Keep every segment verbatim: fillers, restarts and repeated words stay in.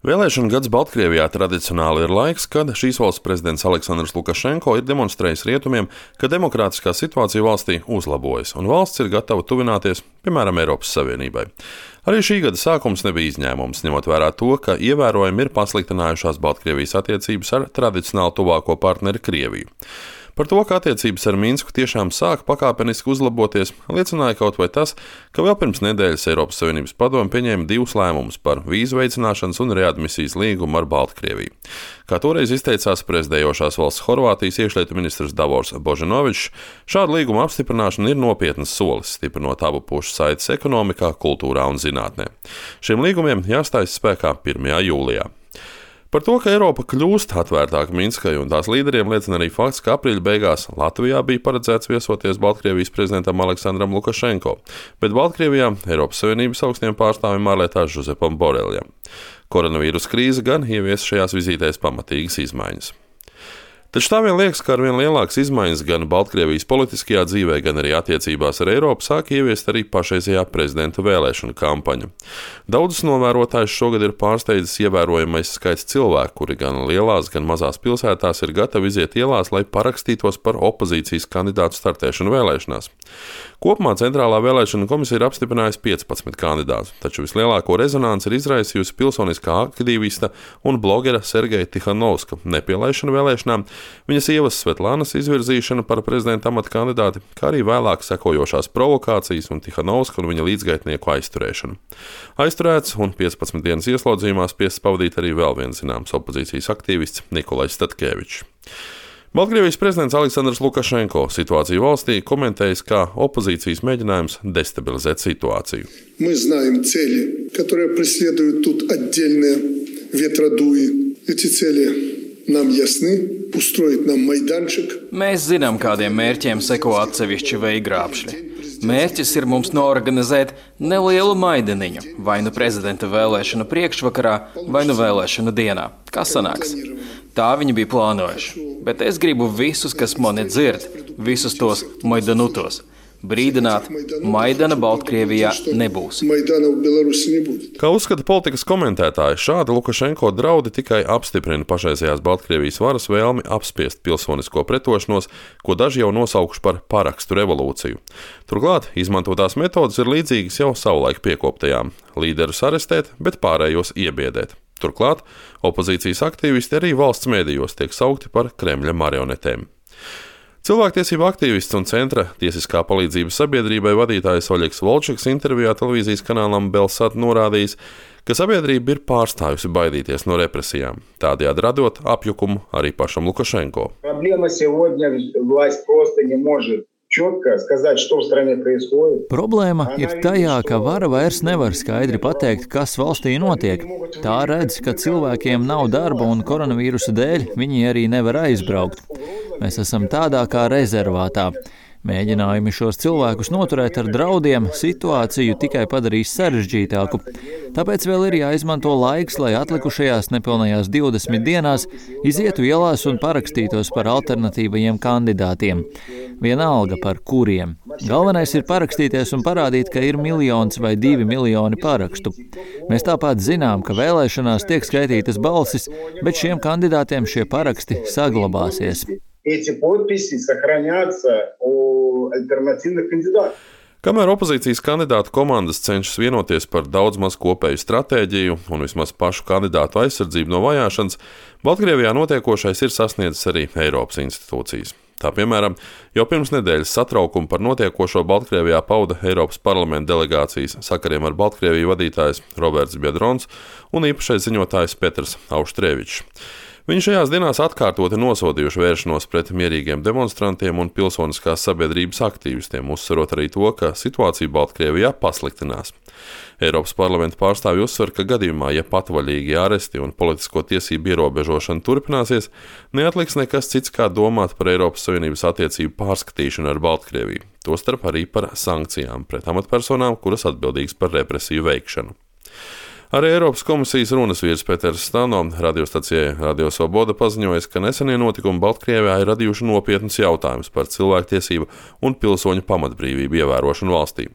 Vēlēšanu gads Baltkrievijā tradicionāli ir laiks, kad šīs valsts prezidents Aleksandrs Lukašenko ir demonstrējis rietumiem, ka demokrātiskā situācija valstī uzlabojas un valsts ir gatava tuvināties, piemēram, Eiropas Savienībai. Arī šī gada sākums nebija izņēmums, ņemot vērā to, ka ievērojami ir pasliktinājušās Baltkrievijas attiecības ar tradicionāli tuvāko partneri Krieviju. Par to, ka attiecības ar Minsku tiešām sāk pakāpeniski uzlaboties, liecināja kaut vai tas, ka vēl pirms nedēļas Eiropas Savienības padome pieņēma divus lēmumus par vīzu veicināšanas un readmisijas līgumu ar Baltkrieviju. Kā toreiz izteicās prezidējošās valsts Horvātijas iekšlietu ministrs Davors Božanovičs, šāda līguma apstiprināšana ir nopietnas solis, stiprinot abu pušu saites ekonomikā, kultūrā un zinātnē. Šiem līgumiem jāstājas spēkā pirmajā jūlijā. Par to, ka Eiropa kļūst atvērtāka Minskai un tās līderiem, liecina arī fakts, ka aprīļa beigās Latvijā bija paredzēts viesoties Baltkrievijas prezidentam Aleksandram Lukašenko, bet Baltkrievijā Eiropas Savienības augstiem pārstāvjiem ārlietās Žozepam Boreljam. Koronavīrus krīze gan ievies šajās vizītēs pamatīgas izmaiņas. Taču tā vien liekas, ka ar vien lielākas izmaiņas gan Baltkrievijas politiskajā dzīvē, gan arī attiecībās ar Eiropu sāk ieviest arī pašreizējā prezidenta vēlēšanu kampaņa. Daudzus novērotājus šogad ir pārsteidzis ievērojamais skaits cilvēku, kuri gan lielās, gan mazās pilsētās ir gatavi iziet ielās, lai parakstītos par opozīcijas kandidātu startēšanu vēlēšanās. Kopumā Centrālā vēlēšana komisija ir apstiprinājusi piecpadsmit kandidātus, taču vislielāko rezonanci ir izraisījusi pilsoniskā aktīvista un blogera Sergeja Tihanovska nepielaišana vēlēšanām, viņa sievas Svetlānas izvirzīšana par prezidenta amata kandidāti, kā arī vēlāk sekojošās provokācijas un Tihanovska un viņa līdzgaitnieku aizturēšana. Aizturēts un piecpadsmit dienas ieslodzījumā spiests pavadīt arī vēl viens zināms opozīcijas aktīvists Nikolais Statkēvičs. Baltkrievijas prezidents Aleksandrs Lukašenko situāciju valstī komentējis kā opozīcijas mēģinājums destabilizēt situāciju. Мы знаем цели, которые преследуют тут отдельные ветродуи. Эти цели нам ясны. Устроить нам майданчик. Mēs zinām, kādiem mērķiem seko atsevišķi veigrābšļi. Mērķis ir mums noorganizēt nelielu maidaniņu, vai nu prezidenta vēlēšanu priekšvakarā, vai nu vēlēšanu dienā. Kas sanāks? Tā viņi bija plānojuši. Bet es gribu visus, kas mani dzird, visus tos maidanutos, brīdināt, Maidana Baltkrievijā nebūs. Kā uzskata politikas komentētāji, šādi Lukašenko draudi tikai apstiprina pašreizējās Baltkrievijas varas vēlmi apspiest pilsonisko pretošanos, ko daži jau nosaukuši par parakstu revolūciju. Turklāt izmantotās metodas ir līdzīgas jau savulaik piekoptajām – līderus arestēt, bet pārējos iebiedēt. Turklāt opozīcijas aktīvisti arī valsts mēdījos tiek saukti par Kremļa marionetēm. Cilvēktiesību aktīvists un centra tiesiskā palīdzības sabiedrībai vadītājs Oļegs Volčaks intervijā televīzijas kanālam Belsat norādījis, ka sabiedrība ir pārstājusi baidīties no represijām, tādējādi radot apjukumu arī pašam Lukašenko. Problēma ir tajā, ka vara vairs nevar skaidri pateikt, kas valstī notiek. Tā redz, ka cilvēkiem nav darba un koronavīrusa dēļ viņi arī nevar aizbraukt. Mēs esam tādā kā rezervātā. Mēģinājumi šos cilvēkus noturēt ar draudiem situāciju tikai padarīs sarežģītāku. Tāpēc vēl ir jāizmanto laiks, lai atlikušajās nepilnajās divdesmit dienās izietu ielās un parakstītos par alternatīvajiem kandidātiem. Vienalga par kuriem. Galvenais ir parakstīties un parādīt, ka ir miljons vai divi miljoni parakstu. Mēs tāpat zinām, ka vēlēšanās tiek skaitītas balsis, bet šiem kandidātiem šie paraksti saglabāsies. Kamēr opozīcijas kandidātu komandas cenšas vienoties par daudz maz kopēju stratēģiju un vismaz pašu kandidātu aizsardzību no vajāšanas, Baltkrievijā notiekošais ir sasniedzis arī Eiropas institūcijas. Tā piemēram, jau pirms nedēļas satraukumu par notiekošo Baltkrievijā pauda Eiropas parlamenta delegācijas sakariem ar Baltkrieviju vadītājs Roberts Biedrons un īpašais ziņotājs Petrs Auštrevičs. Viņi šajās dienās atkārtoti nosodījuši vēršanos pret mierīgiem demonstrantiem un pilsoniskās sabiedrības aktīvistiem, uzsverot arī to, ka situācija Baltkrievijā pasliktinās. Eiropas parlamenta pārstāvji uzsver, ka gadījumā, ja patvaļīgi āresti un politisko tiesību ierobežošana turpināsies, neatliks nekas cits, kā domāt par Eiropas Savienības attiecību pārskatīšanu ar Baltkrieviju, tostarp arī par sankcijām pret amatpersonām, kuras atbildīgas par represiju veikšanu. Arī Eiropas komisijas runas vīrs Peters Stano radiostacijai Radio Svoboda paziņoja, ka nesenie notikumi Baltkrievijā ir radījuši nopietnus jautājumus par cilvēktiesību un pilsoņu pamatbrīvību ievērošanu valstī.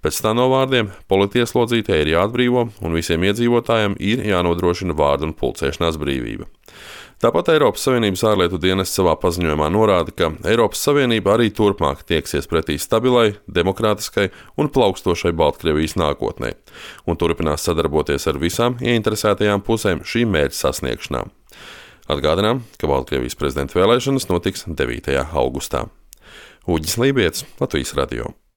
Pēc Stano vārdiem politieslodzītie ir jāatbrīvo un visiem iedzīvotājiem ir jānodrošina vārdu un pulcēšanās brīvība. Tāpat Eiropas Savienības ārlietu dienests savā paziņojumā norāda, ka Eiropas Savienība arī turpmāk tieksies pretī stabilai, demokrātiskai un plaukstošai Baltkrievijas nākotnē un turpinās sadarboties ar visām ieinteresētajām pusēm šī mērķa sasniegšanā. Atgādinām, ka Baltkrievijas prezidenta vēlēšanas notiks devītajā augustā. Uģis Lībietis, Latvijas radio.